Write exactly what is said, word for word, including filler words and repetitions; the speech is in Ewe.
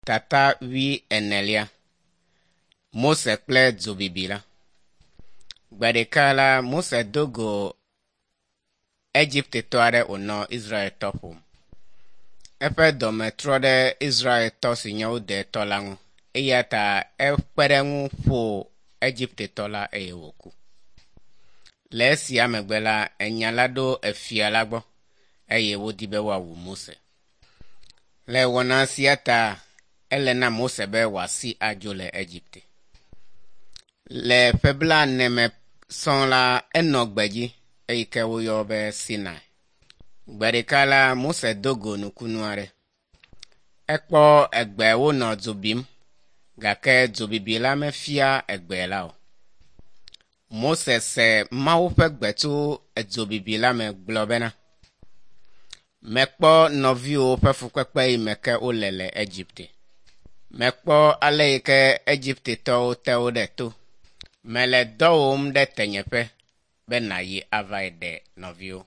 Tata wuienelia. Mose kple dzobibi la. Gbe ɖeka la, Mose do go Egiptetɔ aɖe wònɔ Israeltɔ ƒom. Eƒe dɔme trɔ ɖe Israeltɔ si nye wo detɔ la ŋu eya ta ekpe ɖe eŋu ƒo Egiptetɔ la eye wòku. Le esia megbe la, enya la ɖo efia la gbɔ eye wodi be woawu Mose. Le wɔna sia ta ele na Mose be wòasi adzo le Egipte. Le ƒe blaene me sɔŋ la, enɔ gbedzi eyi ke woyɔ be Sinai. Gbe ɖeka la, Mose do go nukunu aɖe. Ekpɔ egbe wonɔ dzo bim gake dzobibi la mefia egbe la o. Mose se Mawu ƒe gbe tso edzobibi la me gblɔ bena, mekpɔ nɔviwo ƒe fukpekpe yi me ke wole le Egipte. Mekpɔ ale yi ke Egiptetɔwo te wo ɖe to. Mele dɔwòm ɖe tenyeƒe be nàyi avae ɖe nɔviwo.